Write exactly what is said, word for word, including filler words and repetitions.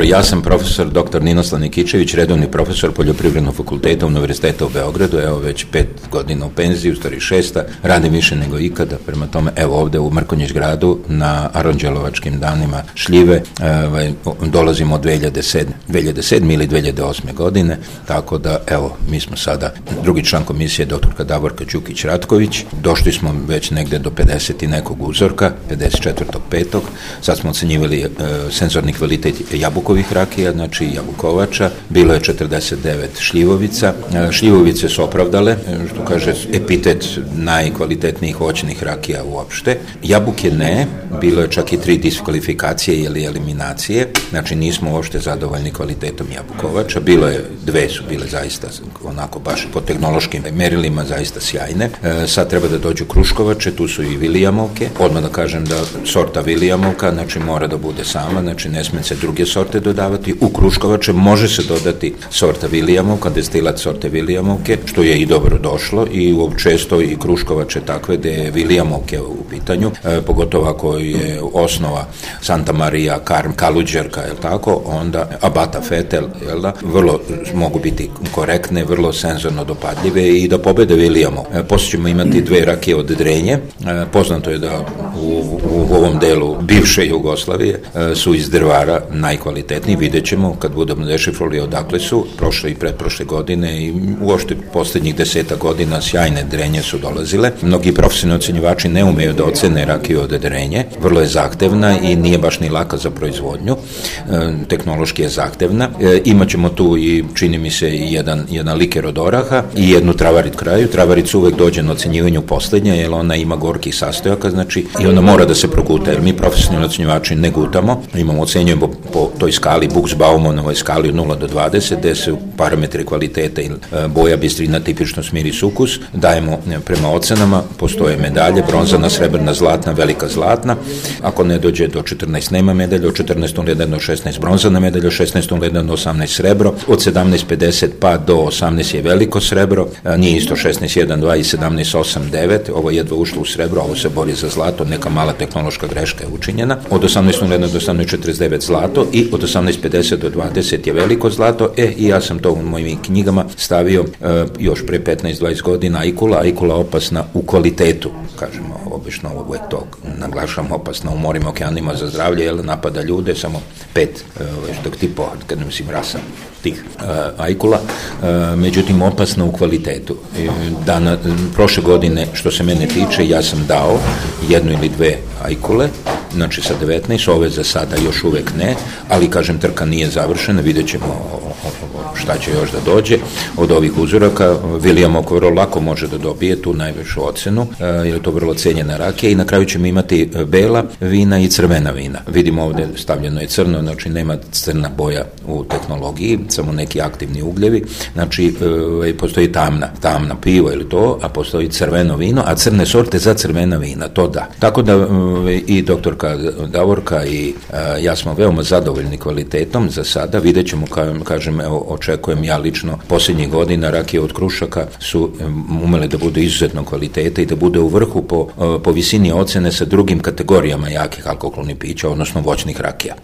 Ja sam profesor doktor Ninoslav Nikićević, redovni profesor Poljoprivrednog fakulteta Univerziteta u Beogradu, evo već pet godina u penziji, u stvari šesta, radim više nego ikada, prema tome evo ovde u Mrkonjić gradu na Aranđelovačkim danima šljive, ovaj, dolazimo od dve hiljade sedme ili dve hiljade osme godine, tako da evo mi smo sada drugi član komisije doktorka Davorka Đukić-Ratković, došli smo već negde do pedeset i nekog uzorka, pedeset četvrtog petog sad smo ocenjivali e, senzorni kvalitet jabukovih rakija, znači jabukovača, bilo je četrdeset devet šljivovica, šljivovice su opravdale, što kaže epitet najkvalitetnijih voćnih rakija uopšte, jabuke ne, bilo je čak i tri diskvalifikacije ili eliminacije, znači nismo uopšte zadovoljni kvalitetom jabukovača, bilo je, dve su bile zaista onako baš po tehnološkim merilima zaista sjajne, e, sad treba da dođu kruškovače, tu su i Vilijamovke, odmah da kažem da sorta Vilijamovka, znači mora da bude sama, znači ne sme se druge sorte dodavati, u kruškovače može se dodati sorta Vilijamovka, destilat sorte Vilijamovke, što je i dobro došlo i često i kruškovače takve da je Vilijamovke u pitanju, e, pogotovo ako je osnova Santa Maria, Karm, Kaluđerka, je tako, onda Abata Fetel, jel da, vrlo mogu biti korektne, vrlo senzorno dopadljive i da pobede Vilijamov. E, poslije ćemo imati dve rakije od Drenje, e, poznato je da u, u ovom delu bivše Jugoslavije e, su iz drvara najkvalitetniji, vidjet ćemo kad budemo dešifrali odakle su, prošle i pretprošle godine i uopšte poslednjih deseta godina sjajne Drenje su dolazile. Mnogi profesionalni ocenjivači ne umeju da ocene rakiju od Drenje, vrlo je zahtevna i nije baš ni laka za proizvodnju, e, tehnološki je zahtevna. E, imaćemo tu i čini mi se i jedan, jedan liker od oraha i jednu travarit kraju. Travarit uvek dođe na ocenjivanju poslednja, jer ona ima gorkih sastojaka, znači i ona mora da se proguta, jer mi profesionalni ocenjivači ne gutamo, imamo ocenjujemo po, po toj skali Buchs-Baumanovoj skali od nula do dvadeset, gde su parametri kvaliteta i boja, bistrina, tipičnost, miris, ukus, dajemo prema ocenama, postoje medalje, bronzana, srebrna, zlatna, velika zlatna, ako ne dođe do četrnaest nema medalja, od četrnaest nula jedan do šesnaest bronzana medalja, od šesnaest nula jedan do osamnaest srebro, od sedamnaest pedeset pa do osamnaest je veliko srebro, nije isto šesnaest jedan dva i sedamnaest osam devet, ovo je jedva ušlo u srebro, ovo se bori za zlato, neka mala tehnološka greška je učinjena, od osamnaest nula jedan do osamnaest četrdeset devet zlato i od osamnaest pedeset do dvadeset je veliko zlato, e i ja sam to u mojim knjigama stavio e, još pre petnaest dvadeset godina, ajkula, ajkula opasna u kvalitetu, kažemo, obično uvek to naglašam, opasna u morima, okeanima za zdravlje, jer napada ljude, samo pet, e, dok ti po, kad ne mislim rasa tih e, ajkula, e, međutim opasna u kvalitetu. E, dana, prošle godine, što se mene tiče, ja sam dao jednu ili dve ajkule, znači sa devetnaest, ove za sada još uvek ne, ali kažem trka nije završena, vidjet ćemo šta će još da dođe od ovih uzoraka. Vilijamov vrlo lako može da dobije tu najvišu ocenu, jer je to vrlo cenjena rakija i na kraju ćemo imati bela vina i crvena vina. Vidimo ovde stavljeno je crno, znači nema crna boja u tehnologiji, samo neki aktivni ugljevi, znači e, postoji tamna, tamna pivo ili to, a postoji crveno vino, a crne sorte za crvena vina, to da. Tako da e, i doktorka Davorka i e, ja smo veoma zadovoljni kvalitetom za sada, vidjet ćemo, ka, kažem, evo, očekujem ja lično, posljednjih godina rakije od Krušaka su umele da budu izuzetno kvaliteta i da bude u vrhu po, po visini ocene sa drugim kategorijama jakih alkoholnih pića, odnosno voćnih rakija.